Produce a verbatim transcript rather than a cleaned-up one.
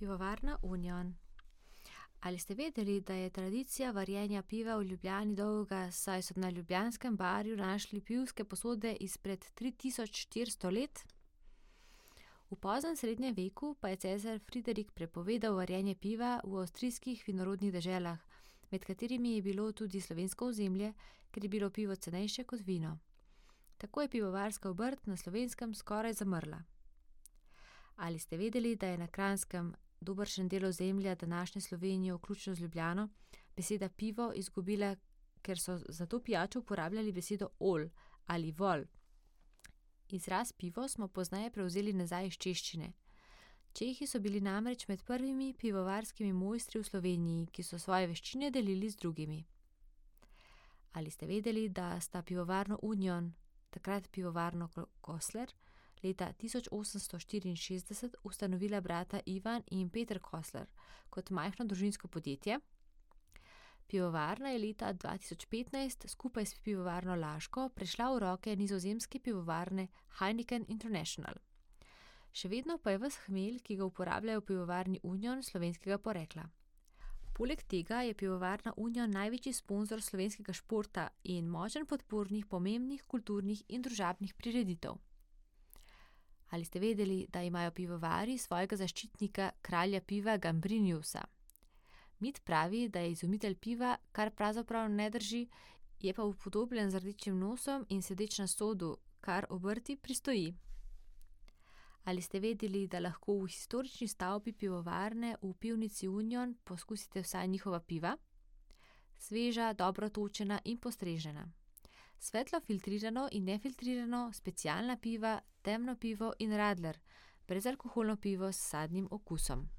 Pivovarna Union. Ali ste vedeli, da je tradicija varjenja piva v Ljubljani dolga, saj so na ljubljanskem barju našli pivske posode izpred tri tisoč štiristo let? V poznem srednjem veku pa je cesar Friderik prepovedal varjenje piva v avstrijskih vinorodnih deželah, med katerimi je bilo tudi slovensko ozemlje, ker je bilo pivo cenejše kot vino. Tako je pivovarska obrt na Slovenskem skoraj zamrla. Ali ste vedeli, da je na Kranjskem, dobršen del ozemlja današnje Slovenije, vključno z Ljubljano, beseda pivo izgubila, ker so za to pijačo uporabljali besedo ol ali vol. Izraz pivo smo pozneje prevzeli nazaj iz češčine. Čehi so bili namreč med prvimi pivovarskimi mojstri v Sloveniji, ki so svoje veščine delili z drugimi. Ali ste vedeli, da sta pivovarno Union, takrat pivovarno Kosler, leta tisoč osemsto štiriinšestdeset ustanovila brata Ivan in Peter Kosler kot majhno družinsko podjetje? Pivovarna je leta dva tisoč petnajst skupaj s pivovarno Laško prešla v roke nizozemske pivovarne Heineken International. Še vedno pa je ves hmelj, ki ga uporabljajo v pivovarni Union, slovenskega porekla. Poleg tega je pivovarna Union največji sponzor slovenskega športa in močen podpornik pomembnih kulturnih in družabnih prireditev. Ali ste vedeli, da imajo pivovarji svojega zaščitnika, kralja piva Gambrinjusa? Mit pravi, da je izumitelj piva, kar pravzaprav ne drži, je pa upodobljen z rdečim nosom in sedeč na sodu, kar obrti pristoji. Ali ste vedeli, da lahko v historični stavbi pivovarne v pivnici Union poskusite vsaj njihova piva? Sveža, dobro točena in postrežena. Svetlo filtrirano in nefiltrirano, specialna piva, temno pivo in radler, brezalkoholno pivo s sadnim okusom.